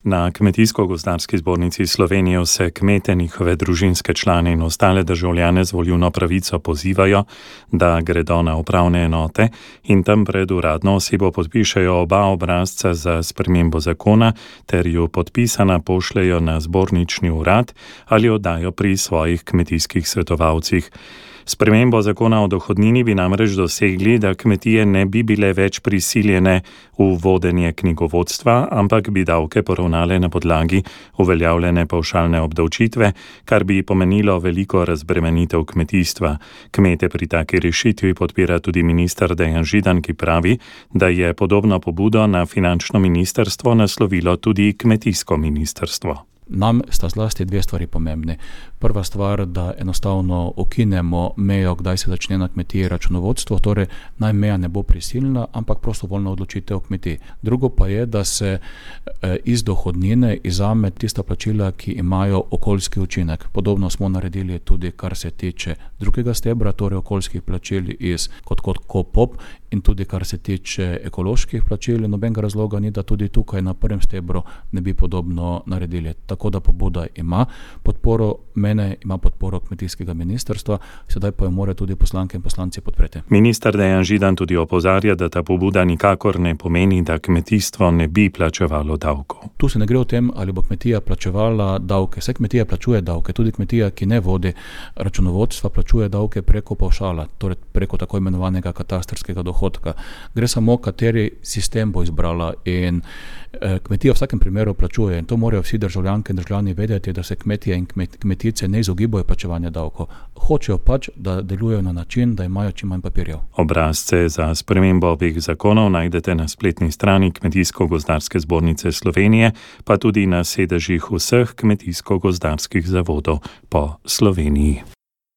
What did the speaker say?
Na Kmetijsko-gozdarski zbornici Slovenije vse kmete, njihove družinske člane in ostale državljane z volilno pravico pozivajo, da gredo na upravne enote in tam pred uradno osebo podpišejo oba obrazca za spremembo zakona ter ju podpisana pošljejo na zbornični urad ali oddajo pri svojih kmetijskih svetovalcih. Spremembo zakona o dohodnini bi namreč dosegli, da kmetije ne bi bile več prisiljene v vodenje knjigovodstva, ampak bi davke poravnale na podlagi uveljavljene pavšalne obdavčitve, kar bi pomenilo veliko razbremenitev kmetijstva. Kmete pri taki rešitvi podpira tudi minister Dejan Židan, ki pravi, da je podobno pobudo na finančno ministrstvo naslovilo tudi kmetijsko ministrstvo. Nam sta zlasti dve stvari pomembni. Prva stvar, da enostavno ukinemo mejo, kdaj se začne na kmetiji računovodstvo, torej naj meja ne bo prisilna, ampak prostovoljna odločitev kmetij. Drugo pa je, da se iz dohodnine izvzame tista plačila, ki imajo okoljski učinek. Podobno smo naredili tudi, kar se tiče drugega stebra, torej okoljskih plačil kot KOPOP, in tudi kar se tiče ekoloških plačil. Nobenega razloga ni, da tudi tukaj na prvem stebru ne bi podobno naredili. Tako da pobuda ima podporo mene, ima podporo kmetijskega ministrstva, sedaj pa jo morajo tudi poslanke in poslanci podpreti. Minister Dejan Židan tudi opozarja, da ta pobuda nikakor ne pomeni, da kmetijstvo ne bi plačevalo davkov. Tu se ne gre o tem, ali bo kmetija plačevala davke. Vse kmetija plačuje davke, tudi kmetija, ki ne vodi računovodstva, plačuje davke preko pavšala, torej preko tako imenovanega katastrskega dohodka. Gre samo, kateri sistem bo izbrala, in kmetija v vsakem primeru plačuje, in to morajo vsi državljanke in državljani vedeti, da se kmetije in kmetice ne izogibajo plačevanja davkov. Hočejo pač, da delujejo na način, da imajo čim manj papirjev. Obrazce za spremembo obeh zakonov najdete na spletni strani Kmetijsko-gozdarske zbornice Slovenije, pa tudi na sedežih vseh kmetijsko-gozdarskih zavodov po Sloveniji.